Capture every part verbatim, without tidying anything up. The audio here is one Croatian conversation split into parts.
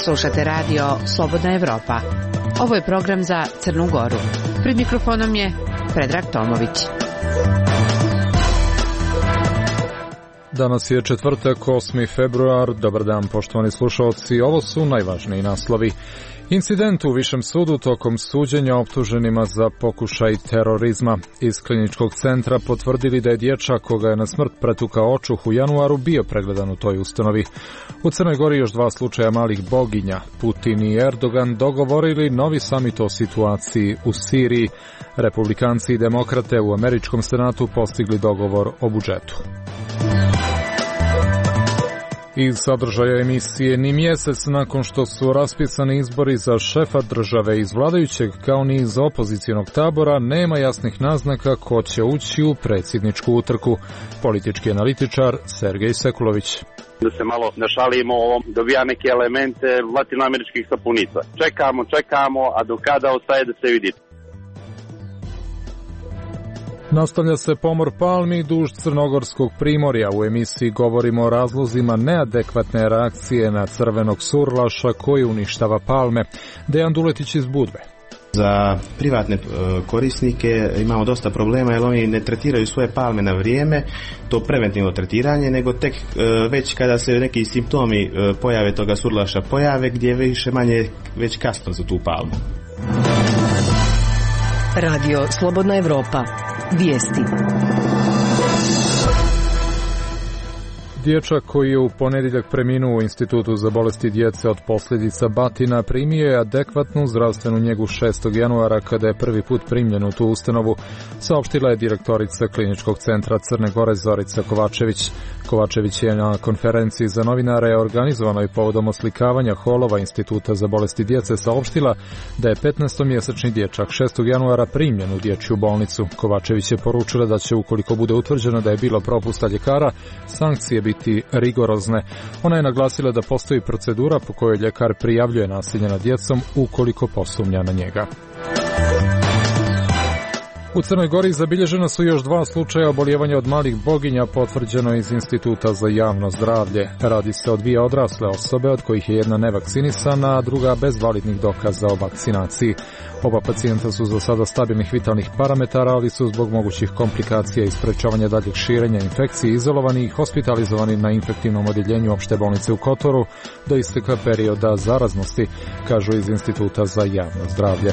Slušate radio Slobodna Evropa. Ovo je program za Crnu Goru. Pred mikrofonom je Predrag Tomović. Danas je četvrtak, osmi februar. Dobar dan, poštovani slušalci. Ovo su najvažniji naslovi. Incident u Višem sudu tokom suđenja optuženima za pokušaj terorizma. Iz kliničkog centra potvrdili da je dječak koga je na smrt pretukao očuh u januaru bio pregledan u toj ustanovi. U Crnoj Gori još dva slučaja malih boginja. Putin i Erdogan dogovorili novi samit o situaciji u Siriji. Republikanci i demokrate u američkom senatu postigli dogovor o budžetu. Iz sadržaja emisije ni mjesec nakon što su raspisani izbori za šefa države iz vladajućeg kao ni iz opozicijonog tabora nema jasnih naznaka ko će ući u predsjedničku utrku. Politički analitičar Sergej Sekulović. Da se malo našalimo, dobija neke elemente latinoameričkih sapunica. Čekamo, čekamo, a do kada ostaje da se vidi. Nastavlja se pomor palmi duž crnogorskog primorja. U emisiji govorimo o razlozima neadekvatne reakcije na crvenog surlaša koji uništava palme. Dejan Duletić iz Budve. Za privatne korisnike imamo dosta problema jer oni ne tretiraju svoje palme na vrijeme, to preventivno tretiranje, nego tek već kada se neki simptomi pojave toga surlaša pojave, gdje je više manje već kasno za tu palmu. Radio Slobodna Evropa. Vijesti. Dječak koji je u ponedjeljak preminuo u Institutu za bolesti djece od posljedica batina primio je adekvatnu zdravstvenu njegu šestog januara kada je prvi put primljen u tu ustanovu, saopštila je direktorica Kliničkog centra Crne Gore Zorica Kovačević. Kovačević je na konferenciji za novinare organizovanoj povodom oslikavanja holova Instituta za bolesti djece saopštila da je petnaestomjesečni dječak šestog januara primljen u dječju bolnicu. Kovačević je poručila da će, ukoliko bude utvrđeno da je bilo propusta ljekara, sankcije biti rigorozne. Ona je naglasila da postoji procedura po kojoj ljekar prijavljuje nasilje nad djecom ukoliko posumnja na njega. U Crnoj Gori zabilježena su još dva slučaja obolijevanja od malih boginja, potvrđeno iz Instituta za javno zdravlje. Radi se o dvije odrasle osobe, od kojih je jedna nevakcinisana, a druga bez validnih dokaza o vakcinaciji. Oba pacijenta su za sada stabilnih vitalnih parametara, ali su zbog mogućih komplikacija i sprečavanja daljeg širenja infekcije izolovani i hospitalizovani na infektivnom odjeljenju opšte bolnice u Kotoru do isteka perioda zaraznosti, kažu iz Instituta za javno zdravlje.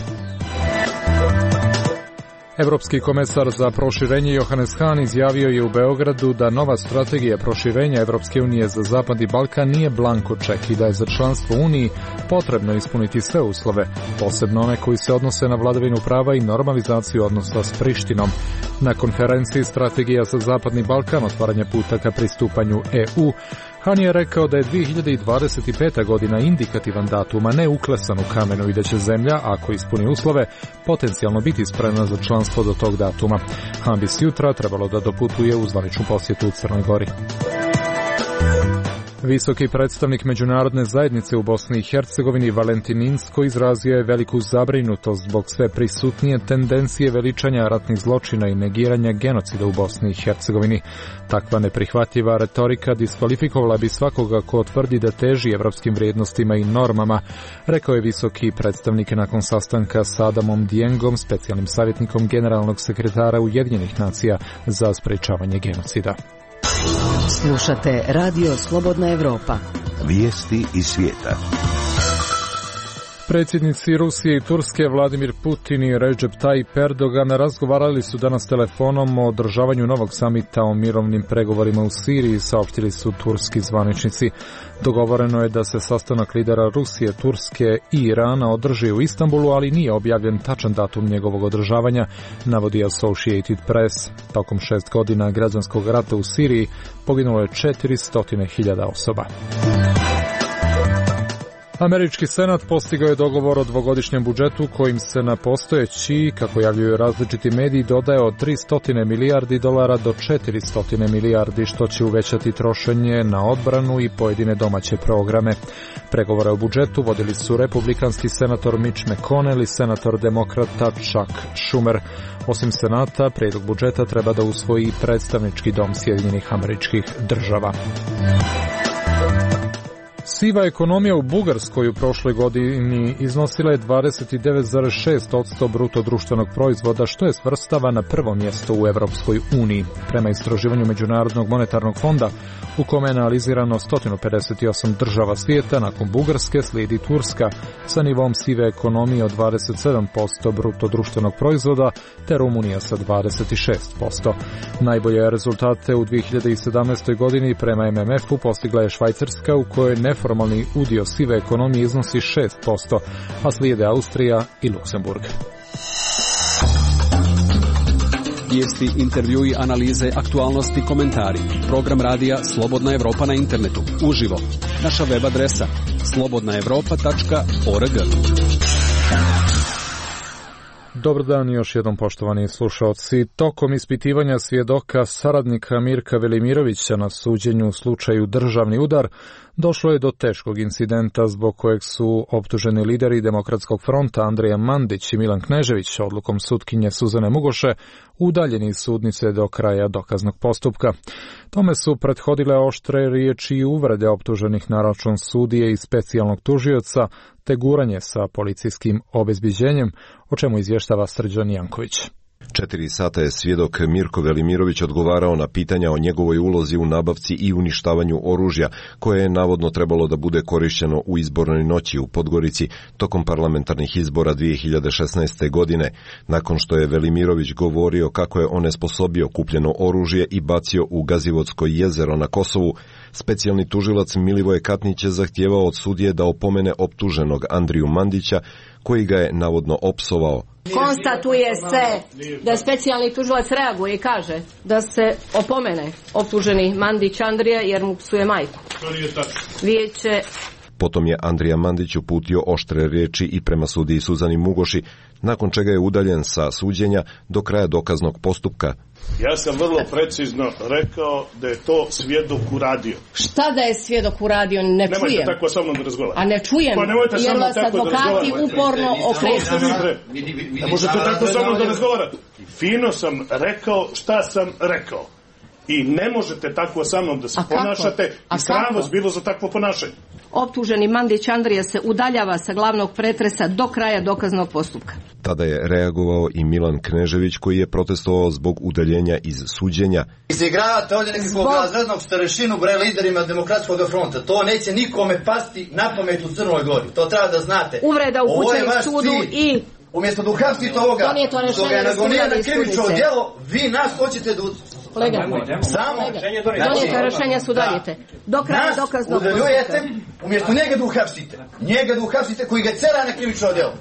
Evropski komesar za proširenje Johannes Hahn izjavio je u Beogradu da nova strategija proširenja Evropske unije za Zapadni Balkan nije blanko ček i da je za članstvo u Uniji potrebno ispuniti sve uslove, posebno one koji se odnose na vladavinu prava i normalizaciju odnosa s Prištinom. Na konferenciji Strategija za Zapadni Balkan, otvaranje puta ka pristupanju E U, Hahn je rekao da je dvije hiljade dvadeset peta godina indikativan datum, a ne uklesan u kamenu i da će zemlja, ako ispuni uslove, potencijalno biti spremna za članstvo do tog datuma. Hahn bi sutra trebalo da doputuje u zvaničnu posjetu u Crnoj Gori. Visoki predstavnik međunarodne zajednice u Bosni i Hercegovini Valentin Inzko izrazio je veliku zabrinutost zbog sve prisutnije tendencije veličanja ratnih zločina i negiranja genocida u Bosni i Hercegovini. Takva neprihvatljiva retorika diskvalifikovala bi svakoga ko tvrdi da teži evropskim vrijednostima i normama, rekao je visoki predstavnik nakon sastanka s Adamom Diengom, specijalnim savjetnikom generalnog sekretara Ujedinjenih nacija za sprečavanje genocida. Slušate Radio Slobodna Evropa. Vijesti iz svijeta. Predsjednici Rusije i Turske Vladimir Putin i Recep Tayyip Erdogan razgovarali su danas telefonom o održavanju novog samita o mirovnim pregovorima u Siriji, saopštili su turski zvaničnici. Dogovoreno je da se sastanak lidera Rusije, Turske i Irana održi u Istanbulu, ali nije objavljen tačan datum njegovog održavanja, navodi Associated Press. Tokom šest godina građanskog rata u Siriji poginulo je četiristo hiljada osoba. Američki senat postigao je dogovor o dvogodišnjem budžetu kojim se na postojeći, kako javljuju različiti mediji, dodaje od tristo milijardi dolara do četiristo milijardi, što će uvećati trošenje na odbranu i pojedine domaće programe. Pregovore o budžetu vodili su republikanski senator Mitch McConnell i senator demokrata Chuck Schumer. Osim senata, prijedlog budžeta treba da usvoji predstavnički dom Sjedinjenih Američkih Država. Siva ekonomija u Bugarskoj u prošloj godini iznosila je dvadeset devet zarez šest posto bruto društvenog proizvoda, što je svrstava na prvo mjesto u Evropskoj uniji. Prema istraživanju Međunarodnog monetarnog fonda, u kome je analizirano sto pedeset osam država svijeta, nakon Bugarske slijedi Turska sa nivom sive ekonomije od dvadeset sedam posto bruto društvenog proizvoda, te Rumunija sa dvadeset šest posto. Najbolje rezultate u dvije hiljade sedamnaestoj godini prema M M F-u postigla je Švajcarska, u kojoj neformalni udio sive ekonomije iznosi šest posto, a slijede Austrija i Luksemburg. Vijesti, intervjui, analize, aktualnosti, komentari. Program radija Slobodna Evropa na internetu. Uživo. Naša web adresa slobodna evropa tačka org. Dobar dan još jednom, poštovani slušalci. Tokom ispitivanja svjedoka saradnika Mirka Velimirovića na suđenju u slučaju Državni udar, došlo je do teškog incidenta zbog kojeg su optuženi lideri Demokratskog fronta Andrija Mandić i Milan Knežević odlukom sutkinje Suzane Mugoše udaljeni iz sudnice do kraja dokaznog postupka. Tome su prethodile oštre riječi i uvrede optuženih na račun sudije i specijalnog tužioca, te guranje sa policijskim obezbiđenjem, o čemu izvještava Srđan Janković. Četiri sata je svjedok Mirko Velimirović odgovarao na pitanja o njegovoj ulozi u nabavci i uništavanju oružja, koje je navodno trebalo da bude korišteno u izbornoj noći u Podgorici tokom parlamentarnih izbora dvije hiljade šesnaeste. godine, nakon što je Velimirović govorio kako je onesposobio kupljeno oružje i bacio u Gazivodsko jezero na Kosovu. Specijalni tužilac Milivoje Katnić je zahtijevao od sudije da opomene optuženog Andriju Mandića, koji ga je navodno opsovao. Konstatuje se da specijalni tužilac reaguje i kaže da se opomene optuženi Mandić Andrija jer mu psuje majku. Vijeće. Potom je Andrija Mandić uputio oštre riječi i prema sudiji Suzani Mugoši, nakon čega je udaljen sa suđenja do kraja dokaznog postupka. Ja sam vrlo precizno rekao da je to svjedok uradio. Šta da je svjedok uradio? Ne nemojte čujem. Nemojte tako sa mnom da razgovarate. A ne čujem, pa jer vas advokati da uporno okreću. Ne možete tako sa mnom da razgovarate. Fino sam rekao šta sam rekao. I ne možete tako sa mnom da se a ponašate i sram vas bilo za takvo ponašanje. Optuženi Mandić Andrija se udaljava sa glavnog pretresa do kraja dokaznog postupka. Tada je reagovao i Milan Knežević, koji je protestovao zbog udaljenja iz suđenja. Izigravate ovdje nekog razrednog starešinu bre liderima Demokratskog fronta. To neće nikome pasti na pamet u Crnoj Gori. To treba da znate. Uvreda upućeni sudu i... Umjesto da uhapsite ovoga, što ga je nagonio na krivično djelo, vi nas hoćete da... Kolega, samo donijete rješenja su donijete. Do kraja dokaznog postupka. Umjesto njega da uhapsite. Njega da uhapsite koji ga cera na krivično djelo.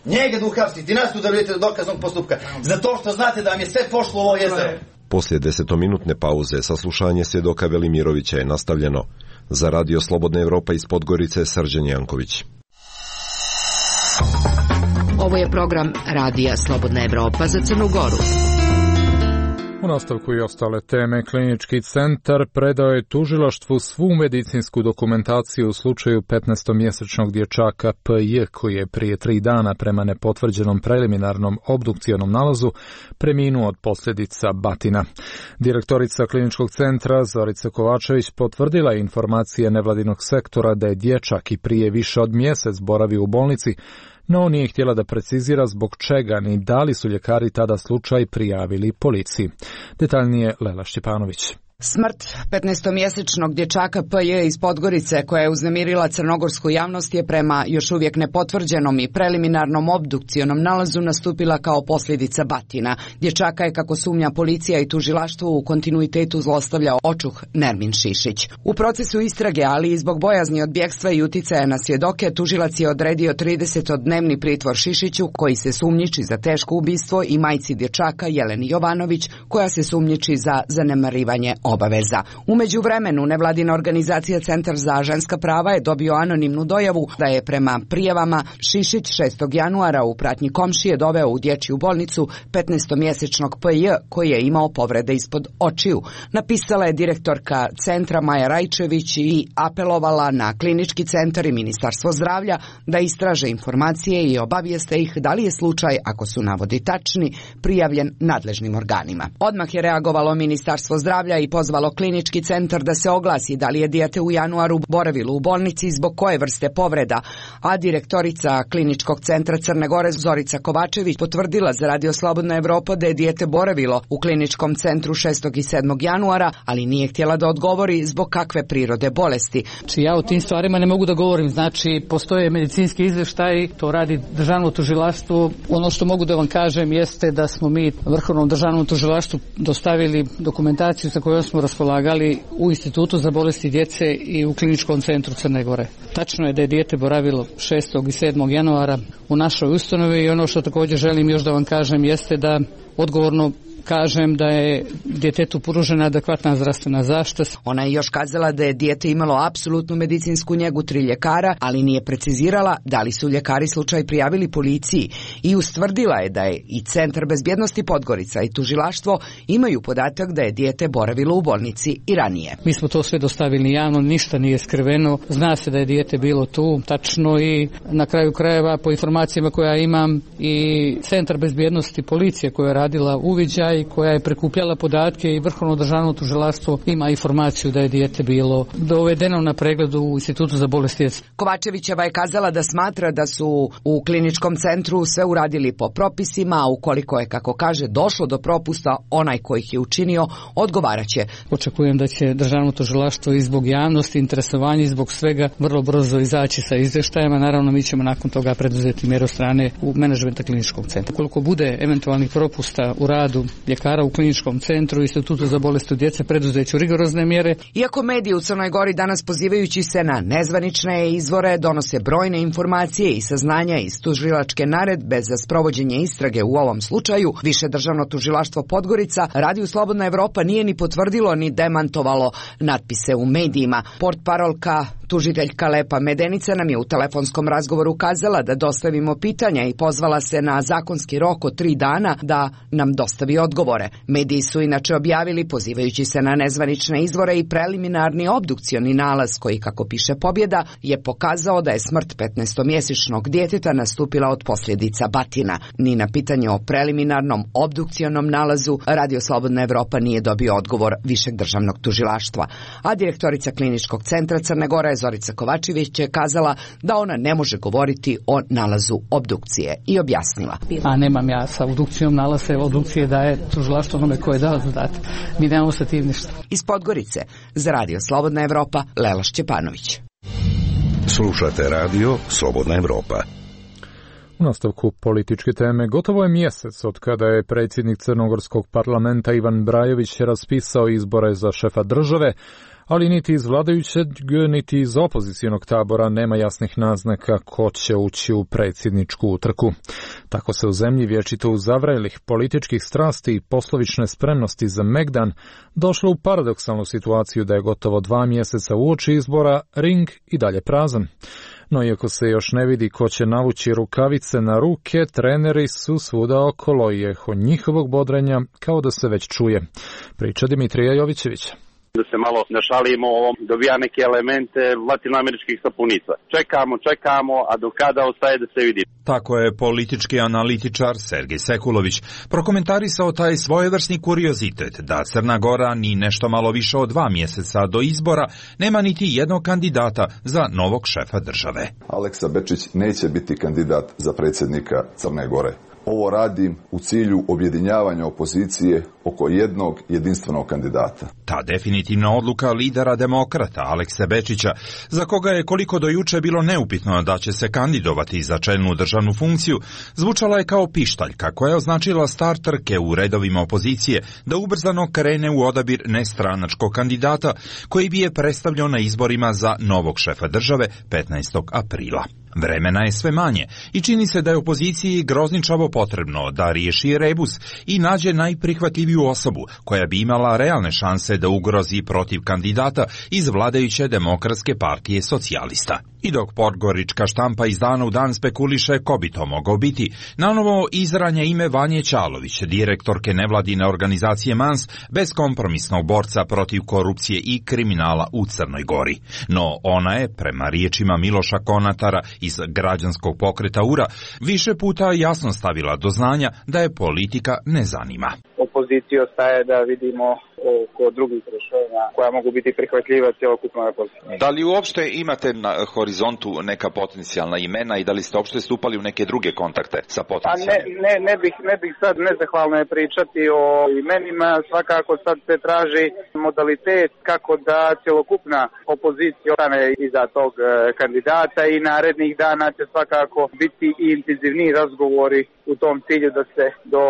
Njega da uhapsite i nas udaljujete do dokaznog postupka. Zato što znate da vam je sve pošlo u ovo jezero. Poslije desetominutne pauze saslušanje svjedoka Velimirovića je nastavljeno. Za Radio Slobodna Evropa iz Podgorice, Srđan Janković. Ovo je program Radija Slobodna Evropa za Crnu Goru. U nastavku i ostale teme, Klinički centar predao je tužilaštvu svu medicinsku dokumentaciju u slučaju petnaestomjesečnog dječaka P J, koji je prije tri dana prema nepotvrđenom preliminarnom obdukcionom nalazu preminuo od posljedica batina. Direktorica Kliničkog centra Zorica Kovačević potvrdila informacije nevladinog sektora da je dječak i prije više od mjesec boravio u bolnici, no nije htjela da precizira zbog čega ni da li su ljekari tada slučaj prijavili policiji. Detaljnije Lela Šćepanović. Smrt petnaestomjesečnog dječaka P J iz Podgorice, koja je uznemirila crnogorsku javnost, je prema još uvijek nepotvrđenom i preliminarnom obdukcionom nalazu nastupila kao posljedica batina. Dječaka je, kako sumnja policija i tužilaštvo, u kontinuitetu zlostavljao očuh Nermin Šišić. U procesu istrage, ali i zbog bojazni od bjegstva i uticaja na svjedoke, tužilac je odredio tridesetodnevni pritvor Šišiću, koji se sumnjiči za teško ubistvo, i majci dječaka Jeleni Jovanović, koja se sumnjiči za zanemarivanje obaveza. U međuvremenu, nevladina organizacija Centar za ženska prava je dobio anonimnu dojavu da je prema prijavama Šišić šestog januara u pratnji komšije doveo u dječju bolnicu petnaestomjesečnog P J koji je imao povrede ispod očiju. Napisala je direktorka centra Maja Rajčević i apelovala na Klinički centar i Ministarstvo zdravlja da istraže informacije i obavijeste ih da li je slučaj, ako su navodi tačni, prijavljen nadležnim organima. Odmah je reagovalo Ministarstvo zdravlja i pozvalo klinički centar da se oglasi da li je dijete u januaru boravilo u bolnici i zbog koje vrste povreda, a direktorica kliničkog centra Crne Gore Zorica Kovačević potvrdila za Radio Slobodna Evropa da je dijete boravilo u kliničkom centru šestog i sedmog januara, ali nije htjela da odgovori zbog kakve prirode bolesti. Znači, ja o tim stvarima ne mogu da govorim, znači postoje medicinski izveštaj, to radi državno tužilaštvo. Ono što mogu da vam kažem jeste da smo mi Vrhovnom državnom tužilaštvu dostavili dokumentaciju sa kojom smo raspolagali u Institutu za bolesti djece i u kliničkom centru Crne Gore. Tačno je da je dijete boravilo šestog i sedmog januara u našoj ustanovi i ono što također želim još da vam kažem jeste da odgovorno kažem da je djetetu pružena adekvatna zdravstvena zaštita. Ona je još kazala da je dijete imalo apsolutnu medicinsku njegu tri ljekara, ali nije precizirala da li su ljekari slučaj prijavili policiji i ustvrdila je da je i Centar bezbjednosti Podgorica i tužilaštvo imaju podatak da je dijete boravilo u bolnici i ranije. Mi smo to sve dostavili javno, ništa nije skriveno, zna se da je dijete bilo tu, tačno, i na kraju krajeva po informacijama koje ja imam i Centar bezbjednosti policije koja je radila uviđaj i koja je prikupljala podatke i Vrhovno državno tužilaštvo ima informaciju da je dijete bilo dovedeno na pregledu u Institutu za bolesti djece. Kovačevićeva je kazala da smatra da su u kliničkom centru sve uradili po propisima, a ukoliko je, kako kaže, došlo do propusta, onaj koji ih je učinio odgovaraće. Očekujem da će državno tužilaštvo i zbog javnosti, interesovanja i zbog svega vrlo brzo izaći sa izvještajima. Naravno, mi ćemo nakon toga preduzeti mjeru strane u menadžmenta kliničkog centra. Koliko bude eventualnih propusta u radu ljekara u kliničkom centru i Institutu za bolesti djece, preduzeću rigorozne mjere. Iako mediji u Crnoj Gori danas, pozivajući se na nezvanične izvore, donose brojne informacije i saznanja iz tužilačke naredbe za sprovođenje istrage u ovom slučaju, Više državno tužilaštvo Podgorica Radio Slobodna Evropa nije ni potvrdilo ni demantovalo natpise u medijima. Portparolka tužiteljka Lepa Medenica nam je u telefonskom razgovoru kazala da dostavimo pitanja i pozvala se na zakonski rok od tri dana da nam dostavi odgovore. Mediji su inače objavili, pozivajući se na nezvanične izvore, i preliminarni obdukcioni nalaz koji, kako piše Pobjeda, je pokazao da je smrt petnaestomjesečnog djeteta nastupila od posljedica batina. Ni na pitanje o preliminarnom obdukcionom nalazu Radio Slobodna Evropa nije dobio odgovor Višeg državnog tužilaštva. A direktorica kliničkog centra Crne Gore Zorica Kovačević je kazala da ona ne može govoriti o nalazu obdukcije i objasnila. A nemam ja sa obdukcijom nalaze obdukcije da je tužilaštvo onome koje je dao zadatak. Mi nemamo sa tim ništa. Iz Podgorice za Radio Slobodna Evropa Lela Šćepanović. Slušate Radio Slobodna Evropa. U nastavku političke teme, gotovo je mjesec od kada je predsjednik Crnogorskog parlamenta Ivan Brajović raspisao izbore za šefa države, ali niti iz vladajućeg, niti iz opozicionog tabora nema jasnih naznaka ko će ući u predsjedničku utrku. Tako se u zemlji vječito uzavrelih političkih strasti i poslovične spremnosti za megdan došlo u paradoksalnu situaciju da je gotovo dva mjeseca uoči izbora ring i dalje prazan. No iako se još ne vidi ko će navući rukavice na ruke, treneri su svuda okolo i eho njihovog bodrenja kao da se već čuje. Priča Dimitrija Jovićevića. Da se malo našalimo, dobija neke elemente latinoameričkih sapunica. Čekamo, čekamo, a do kada ostaje da se vidi. Tako je politički analitičar Sergej Sekulović prokomentarisao taj svojevrsni kuriozitet da Crna Gora ni nešto malo više od dva mjeseca do izbora nema niti jednog kandidata za novog šefa države. Aleksa Bečić neće biti kandidat za predsjednika Crne Gore. Ovo radim u cilju objedinjavanja opozicije oko jednog jedinstvenog kandidata. Ta definitivna odluka lidera demokrata Alekse Bečića, za koga je koliko do juče bilo neupitno da će se kandidovati za čelnu državnu funkciju, zvučala je kao pištaljka koja je označila start trke u redovima opozicije da ubrzano krene u odabir nestranačkog kandidata koji bi je predstavljao na izborima za novog šefa države petnaestog aprila. Vremena je sve manje i čini se da je opoziciji grozničavo potrebno da riješi rebus i nađe najprihvatljiviju osobu koja bi imala realne šanse da ugrozi protiv kandidata iz vladajuće Demokratske partije socijalista. I dok podgorička štampa iz dana u dan spekuliše ko bi to mogao biti, nanovo izranja ime Vanje Ćalović, direktorke nevladine organizacije Mans, beskompromisnog borca protiv korupcije i kriminala u Crnoj Gori. No ona je, prema riječima Miloša Konatara iz građanskog pokreta U R A, više puta jasno stavila do znanja da je politika ne zanima. Opoziciji ostaje da vidimo oko drugih rješenja koja mogu biti prihvatljiva cjelokupnoj opoziciji. Da li uopšte imate na horizontu neka potencijalna imena i da li ste uopšte stupali u neke druge kontakte sa potencijalnim? Ne, ne, ne bih, ne bih sad nezahvalno je pričati o imenima, svakako sad se traži modalitet kako da cjelokupna opozicija ostane iza tog kandidata i narednih dana će svakako biti i intenzivniji razgovori u tom cilju da se do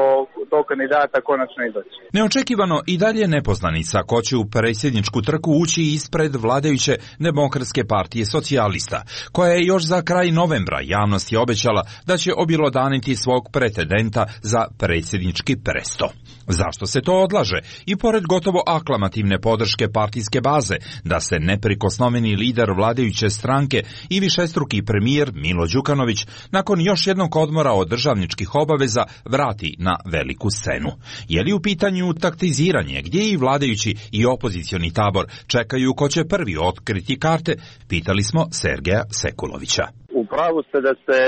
tog kandidata konačno i doći. Neočekivano i dalje nepoznanica ko će u predsjedničku trku ući ispred vladajuće Demokratske partije socijalista, koja je još za kraj novembra javnosti obećala da će objelodaniti svog pretendenta za predsjednički presto. Zašto se to odlaže? I pored gotovo aklamativne podrške partijske baze da se neprikosnoveni lider vladajuće stranke i višestruki premijer Milo Đukanović nakon još jednog odmora od državničkih obaveza vrati na veliku scenu. Je li u pitanju taktiziranje gdje i vladajući i opozicioni tabor čekaju ko će prvi otkriti karte? Pitali smo Sergeja Sekulovića. U pravu ste da se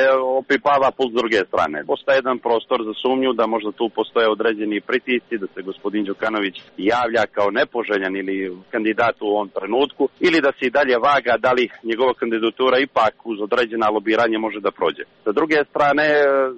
opipava puls s druge strane. Postoje jedan prostor za sumnju da možda tu postoje određeni pritisci, da se gospodin Đukanović javlja kao nepoželjan ili kandidat u ovom trenutku, ili da se i dalje vaga da li njegova kandidatura ipak uz određena lobiranje može da prođe. Sa druge strane,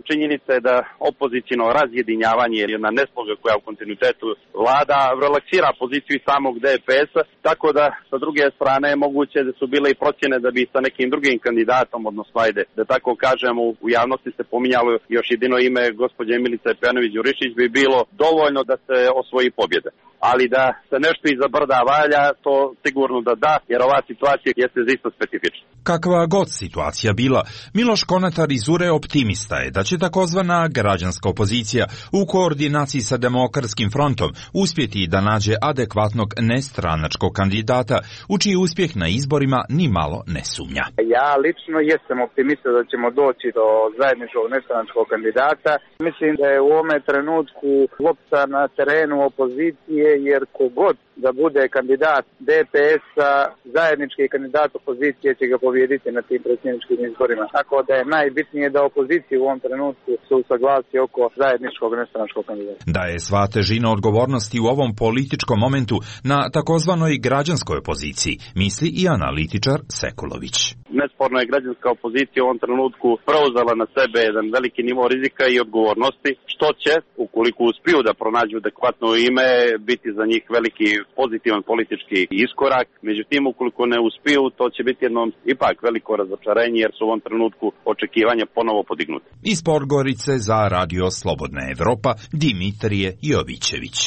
činjenica je da opozicijno razjedinjavanje je jedna nesloga koja u kontinuitetu vlada, relaksira poziciju samog D P S-a, tako da sa druge strane moguće da su bile i procjene da bi sa nekim drugim kandidatom, odnosno ajde, da tako kažem, u javnosti se pominjalo još jedino ime gospođe Milice Pejanović-Đurišić bi bilo dovoljno da se osvoji pobjeda. Ali da se nešto iza brda valja, to sigurno da da, jer ova situacija jeste isto specifična. Kakva god situacija bila, Miloš Konatar iz U R E optimista je da će takozvana građanska opozicija u koordinaciji sa Demokratskim frontom uspjeti da nađe adekvatnog nestranačkog kandidata, u čiji uspjeh na izborima ni malo ne sumnja. Ja lično jesam optimista da ćemo doći do zajedničkog nestranačkog kandidata. Mislim da je u ovome trenutku lopta na terenu opozicije, jer kogod da bude kandidat D P S-a, zajednički kandidat opozicije će ga pobijediti na tim predsjedničkim izborima. Tako da je najbitnije da opozicija u ovom trenutku se usaglasi oko zajedničkog nestranačkog kandidata. Da je sva težina odgovornosti u ovom političkom momentu na takozvanoj građanskoj opoziciji, misli i analitičar Sekulović. Nesporno je građanska opozicija u ovom trenutku preuzela na sebe jedan veliki nivo rizika i odgovornosti, što će, ukoliko uspiju da pronađu adekvatno ime, biti za njih veliki pozitivan politički iskorak. Međutim, ukoliko ne uspiju, to će biti jedno ipak veliko razočarenje, jer su u ovom trenutku očekivanja ponovo podignuti. Iz Podgorice za Radio Slobodna Evropa, Dimitrije Jovićević.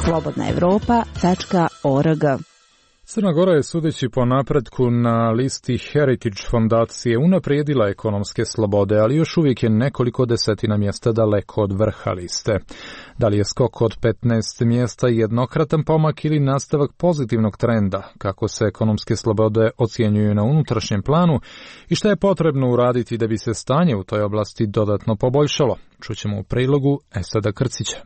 slobodna evropa tačka org. Crna Gora je, sudeći po napretku na listi Heritage fondacije, unaprijedila ekonomske slobode, ali još uvijek je nekoliko desetina mjesta daleko od vrha liste. Da li je skok od petnaest mjesta jednokratan pomak ili nastavak pozitivnog trenda, kako se ekonomske slobode ocjenjuju na unutrašnjem planu i šta je potrebno uraditi da bi se stanje u toj oblasti dodatno poboljšalo, čućemo u prilogu Esada Krcića.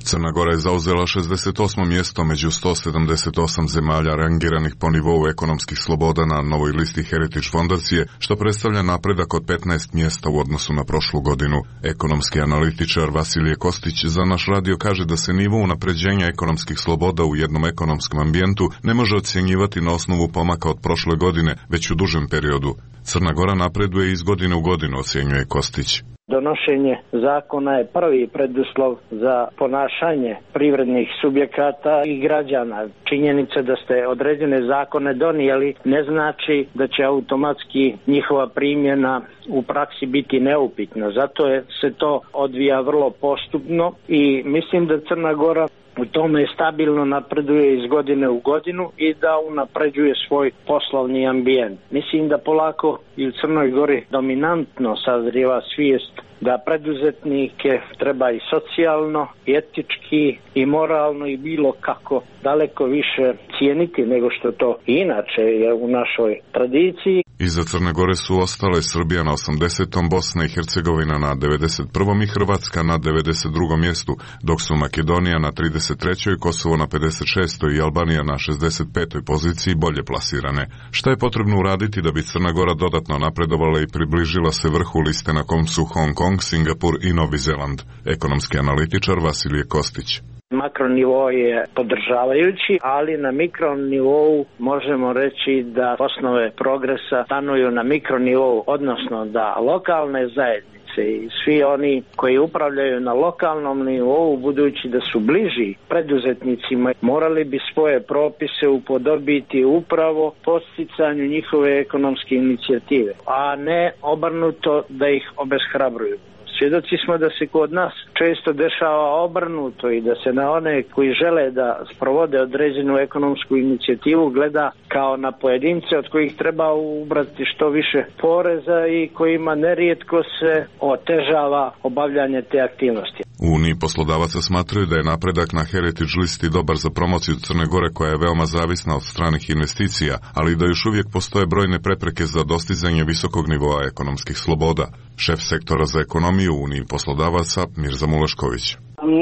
Crna Gora je zauzela šezdeset osmo mjesto među sto sedamdeset osam zemalja rangiranih po nivou ekonomskih sloboda na novoj listi Heritage fondacije, što predstavlja napredak od petnaest mjesta u odnosu na prošlu godinu. Ekonomski analitičar Vasilije Kostić za naš radio kaže da se nivo unapređenja ekonomskih sloboda u jednom ekonomskom ambijentu ne može ocjenjivati na osnovu pomaka od prošle godine, već u dužem periodu. Crna Gora napreduje iz godine u godinu, ocjenjuje Kostić. Donošenje zakona je prvi preduslov za ponašanje privrednih subjekata i građana. Činjenica da ste određene zakone donijeli ne znači da će automatski njihova primjena u praksi biti neupitna. Zato je se to odvija vrlo postupno i mislim da Crna Gora u tome stabilno napreduje iz godine u godinu i da unapređuje svoj poslovni ambijent. Mislim da polako i u Crnoj Gori dominantno sazrijeva svijest da preduzetnike treba i socijalno, i etički, i moralno i bilo kako daleko više cijeniti nego što to inače je u našoj tradiciji. Iza Crne Gore su ostale Srbija na osamdesetom, Bosna i Hercegovina na devedeset prvom i Hrvatska na devedeset drugom mjestu, dok su Makedonija na trideset trećoj, Kosovo na pedeset šestoj i Albanija na šezdeset petoj poziciji bolje plasirane. Šta je potrebno uraditi da bi Crna Gora dodatno napredovala i približila se vrhu liste na kom su Hong Kong, Singapur i Novi Zeland? Ekonomski analitičar Vasilije Kostić. Makronivou je podržavajući, ali na mikronivou možemo reći da osnove progresa stanuju na mikronivou, odnosno da lokalne zajednice i svi oni koji upravljaju na lokalnom nivou, budući da su bliži preduzetnicima, morali bi svoje propise upodobiti upravo podsticanju njihove ekonomske inicijative, a ne obrnuto da ih obeshrabruju. Svjedoci smo da se kod nas često dešava obrnuto i da se na one koji žele da sprovode određenu ekonomsku inicijativu gleda kao na pojedince od kojih treba ubrati što više poreza i kojima nerijetko se otežava obavljanje te aktivnosti. U Uniji poslodavaca smatraju da je napredak na Heritage listi dobar za promociju Crne Gore, koja je veoma zavisna od stranih investicija, ali da još uvijek postoje brojne prepreke za dostizanje visokog nivoa ekonomskih sloboda. Šef sektora za ekonomiju u Uniji poslodavaca Mirza Mulešković.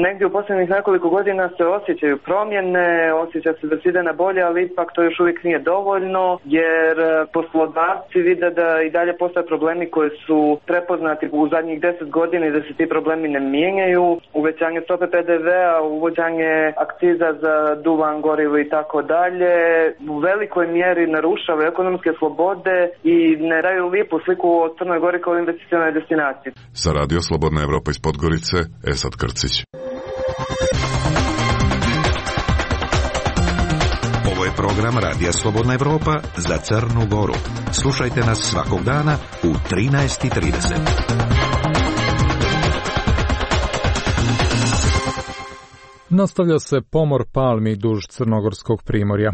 Negdje u posljednjih nekoliko godina se osjećaju promjene, osjeća se da se ide na bolje, ali ipak to još uvijek nije dovoljno, jer poslodavci vide da i dalje postoje problemi koji su prepoznati u zadnjih deset godina i da se ti problemi ne mijenjaju. Uvećanje stope P D V-a, uvođenje akciza za duvan, gorivo i tako dalje, u velikoj mjeri narušava ekonomske slobode i ne daju lipu sliku o Crnoj Gori kao investicionoj destinaciji. Za Radio Slobodna Evropa iz Podgorice, Esad Krcić. Ovo je program Radija Slobodna Evropa za Crnu Goru. Slušajte nas svakog dana u trinaest i trideset. Nastavlja se pomor palmi duž crnogorskog primorja.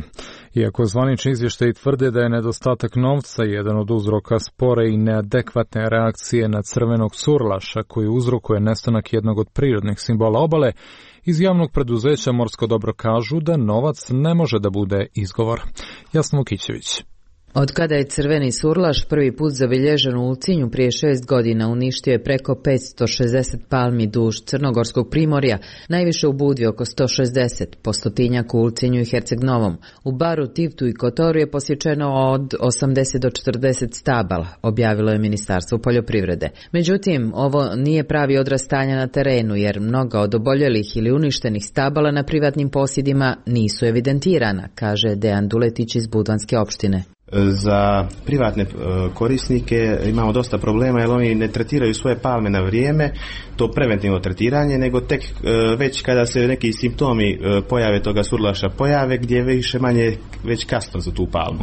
Iako zvanični izvještaji tvrde da je nedostatak novca jedan od uzroka spore i neadekvatne reakcije na crvenog surlaša koji uzrokuje nestanak jednog od prirodnih simbola obale, iz javnog preduzeća Morsko dobro kažu da novac ne može da bude izgovor. Jasno Vukićević. Od kada je crveni surlaš prvi put zabilježen u Ulcinju prije šest godina, uništio je preko petsto šezdeset palmi duž crnogorskog primorja, najviše u Budvi oko sto šezdeset, po stotinjak u Ulcinju i Herceg Novom. U Baru, Tivtu i Kotoru je posjećeno od osamdeset do četrdeset stabala, objavilo je Ministarstvo poljoprivrede. Međutim, ovo nije pravi odraz stanja na terenu, jer mnoga od oboljelih ili uništenih stabala na privatnim posjedima nisu evidentirana, kaže Dejan Duletić iz Budvanske opštine. Za privatne korisnike imamo dosta problema jer oni ne tretiraju svoje palme na vrijeme, to preventivno tretiranje, nego tek već kada se neki simptomi pojave toga surlaša pojave, gdje je više manje već kasno za tu palmu.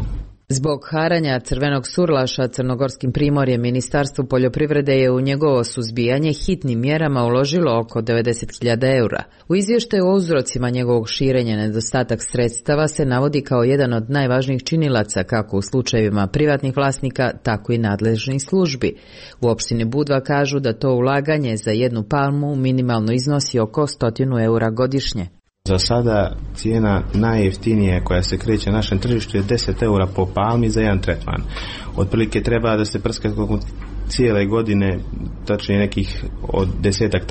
Zbog haranja crvenog surlaša crnogorskim primorjem, Ministarstvo poljoprivrede je u njegovo suzbijanje hitnim mjerama uložilo oko devedeset hiljada eura. U izvještaju o uzrocima njegovog širenja nedostatak sredstava se navodi kao jedan od najvažnijih činilaca kako u slučajevima privatnih vlasnika, tako i nadležnih službi. U opštini Budva kažu da to ulaganje za jednu palmu minimalno iznosi oko stotinu eura godišnje. Za sada cijena najjeftinija koja se kreće na našem tržištu je deset eura po palmi za jedan tretman. Otprilike treba da se prska cijele godine, tačnije nekih od desetak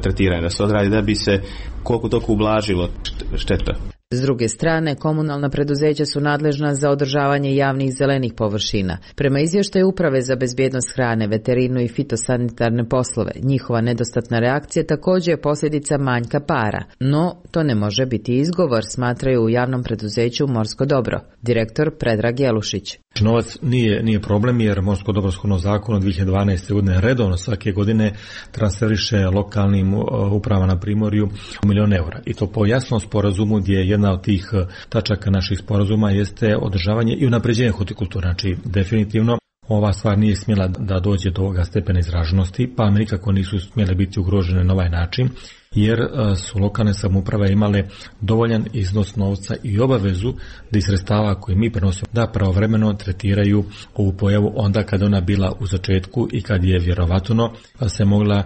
tretiranja da se odradi da bi se koliko toliko ublažilo šteta. S druge strane, komunalna preduzeća su nadležna za održavanje javnih zelenih površina. Prema izvještaju Uprave za bezbjednost hrane, veterinu i fitosanitarne poslove, njihova nedostatna reakcija također je posljedica manjka para. No, to ne može biti izgovor, smatraju u javnom preduzeću Morsko dobro. Direktor Predrag Jelušić. Novac nije, nije problem jer Morsko dobro shodno zakonu od dvije hiljade dvanaeste. godine redovno svake godine transferiše lokalnim upravama na primorju milion eura. I to po jasnom sporazumu gdje jedna od tih tačaka naših sporazuma jeste održavanje i unapređenje hortikulture. Znači, definitivno ova stvar nije smjela da dođe do ovoga stepena izraženosti, pa nikako nisu smjele biti ugrožene na ovaj način, jer su lokalne samouprave imale dovoljan iznos novca i obavezu da iz sredstava koje mi prenosimo da pravovremeno tretiraju ovu pojavu onda kada ona bila u začetku i kad je vjerovatno se mogla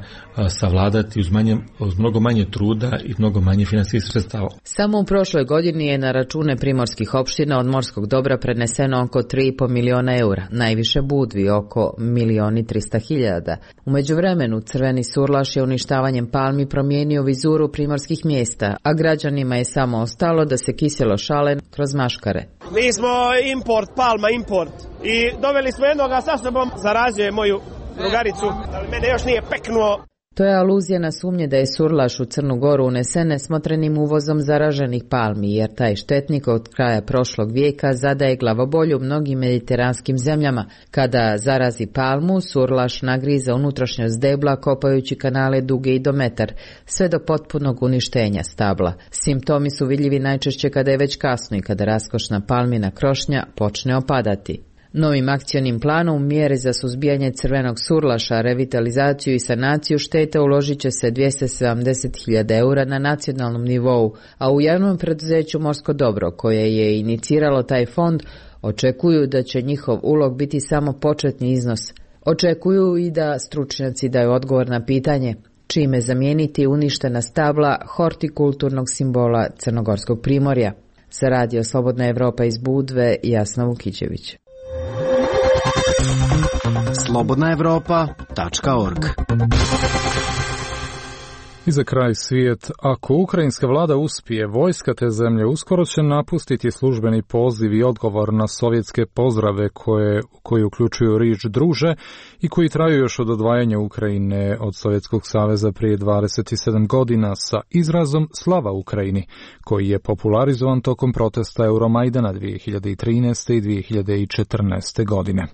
savladati uz, manje, uz mnogo manje truda i mnogo manje financijskih sredstava. Samo u prošloj godini je na račune primorskih opština od Morskog dobra preneseno oko tri i pol miliona eura, najviše Budvi oko milion i trista hiljada. U međuvremenu crveni surlaš je uništavanjem palmi promijenio vizuru primorskih mjesta, a građanima je samo ostalo da se kiselo šale kroz maškare. Mi smo import, palma import i doveli smo jednoga sa sobom, zarazio je moju drugaricu, ali mene još nije peknuo. To je aluzija na sumnje da je surlaš u Crnu Goru unesen nesmotrenim uvozom zaraženih palmi, jer taj štetnik od kraja prošlog vijeka zadaje glavobolju mnogim mediteranskim zemljama. Kada zarazi palmu, surlaš nagriza unutrašnjost debla kopajući kanale duge i do metar, sve do potpunog uništenja stabla. Simptomi su vidljivi najčešće kada je već kasno i kada raskošna palmina krošnja počne opadati. Novim akcionim planom mjere za suzbijanje crvenog surlaša, revitalizaciju i sanaciju štete uložit će se dvjesto sedamdeset hiljada eura na nacionalnom nivou, a u javnom preduzeću Morsko dobro, koje je iniciralo taj fond, očekuju da će njihov ulog biti samo početni iznos. Očekuju i da stručnjaci daju odgovor na pitanje čime zamijeniti uništena stabla hortikulturnog simbola Crnogorskog primorja. Za radio Slobodna Evropa iz Budve, Jasna Vukićević. slobodna evropa tačka org. I za kraj svijet, ako ukrajinska vlada uspije, vojska te zemlje uskoro će napustiti službeni poziv i odgovor na sovjetske pozdrave koje, koji uključuju riječ druže i koji traju još od odvajanja Ukrajine od Sovjetskog saveza prije dvadeset sedam godina sa izrazom Slava Ukrajini, koji je popularizovan tokom protesta Euromajdana dvije hiljade trinaeste i dvije hiljade četrnaeste godine.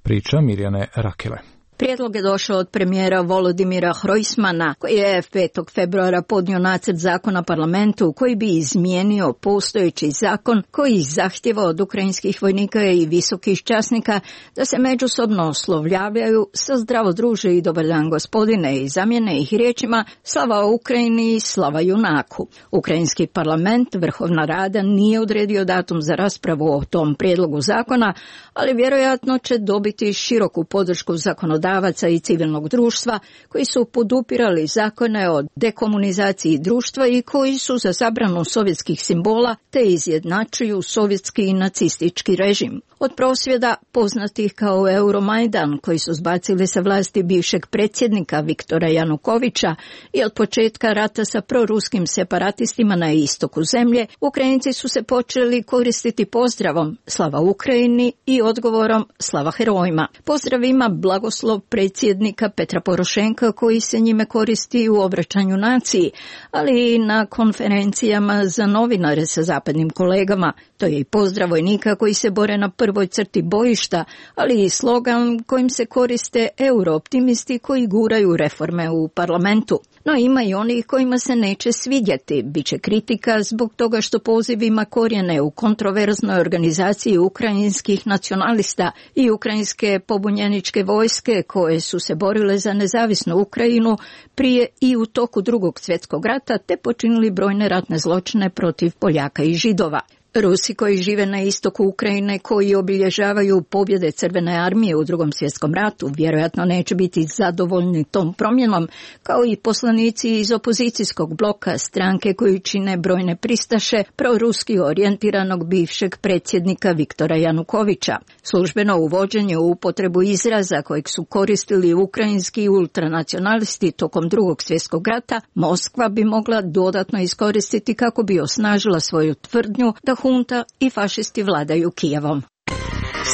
Priča Mirjane Rakele. Prijedlog je došao od premijera Volodimira Hrojsmana, koji je petog februara podnio nacrt zakona parlamentu koji bi izmijenio postojeći zakon koji zahtjeva od ukrajinskih vojnika i visokih časnika da se međusobno oslovljavaju sa zdravo druže i dobar dan gospodine i zamjene ih riječima slava Ukrajini i slava junaku. Ukrajinski parlament, Vrhovna rada, nije odredio datum za raspravu o tom prijedlogu zakona, ali vjerojatno će dobiti široku podršku zakonodavstva i civilnog društva koji su podupirali zakone o dekomunizaciji društva i koji su za zabranu sovjetskih simbola te izjednačuju sovjetski i nacistički režim. Od prosvjeda poznatih kao Euromajdan, koji su zbacili sa vlasti bivšeg predsjednika Viktora Janukovića, i od početka rata sa proruskim separatistima na istoku zemlje, Ukrajinci su se počeli koristiti pozdravom Slava Ukrajini i odgovorom Slava herojima. Pozdrav ima blagoslov predsjednika Petra Porošenka, koji se njime koristi u obraćanju naciji, ali i na konferencijama za novinare sa zapadnim kolegama. To je i pozdrav vojnika koji se bore na prvoj crti bojišta, ali i slogan kojim se koriste eurooptimisti koji guraju reforme u parlamentu. No ima i onih kojima se neće svidjeti. Biće kritika zbog toga što poziv ima korijene u kontroverznoj organizaciji ukrajinskih nacionalista i ukrajinske pobunjeničke vojske koje su se borile za nezavisnu Ukrajinu prije i u toku Drugog svjetskog rata te počinili brojne ratne zločine protiv Poljaka i Židova. Rusi koji žive na istoku Ukrajine, koji obilježavaju pobjede Crvene armije u Drugom svjetskom ratu, vjerojatno neće biti zadovoljni tom promjenom, kao i poslanici iz opozicijskog bloka, stranke koji čine brojne pristaše proruski orijentiranog bivšeg predsjednika Viktora Janukovića. Službeno uvođenje u upotrebu izraza kojeg su koristili ukrajinski ultranacionalisti tokom Drugog svjetskog rata, Moskva bi mogla dodatno iskoristiti kako bi osnažila svoju tvrdnju da hunta i fašisti vladaju Kijevom.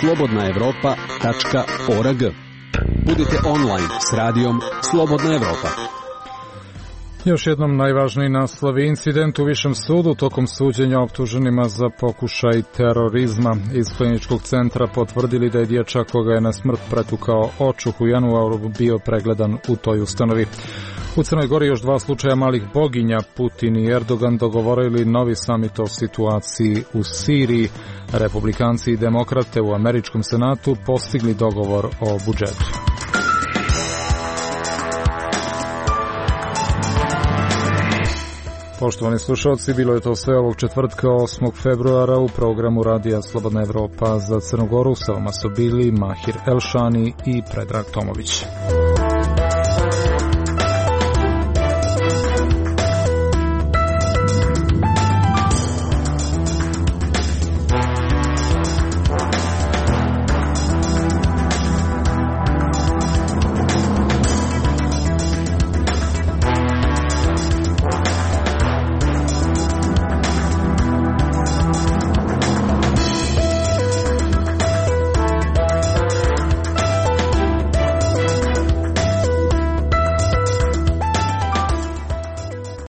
slobodna evropa tačka org. Budite online s radijom Slobodna Evropa. Još jednom najvažniji naslovi: incident u Višem sudu tokom suđenja optuženima za pokušaj terorizma. Iz kliničkog centra potvrdili da je dječak koga je na smrt pretukao očuh u januaru bio pregledan u toj ustanovi. U Crnoj Gori još dva slučaja malih boginja. Putin i Erdogan dogovorili novi samit o situaciji u Siriji. Republikanci i demokrate u američkom senatu postigli dogovor o budžetu. Poštovani slušalci, bilo je to sve ovog četvrtka osmog februara u programu Radija Slobodna Evropa za Crnu Goru. Sa vama su bili Mahir Elšani i Predrag Tomović.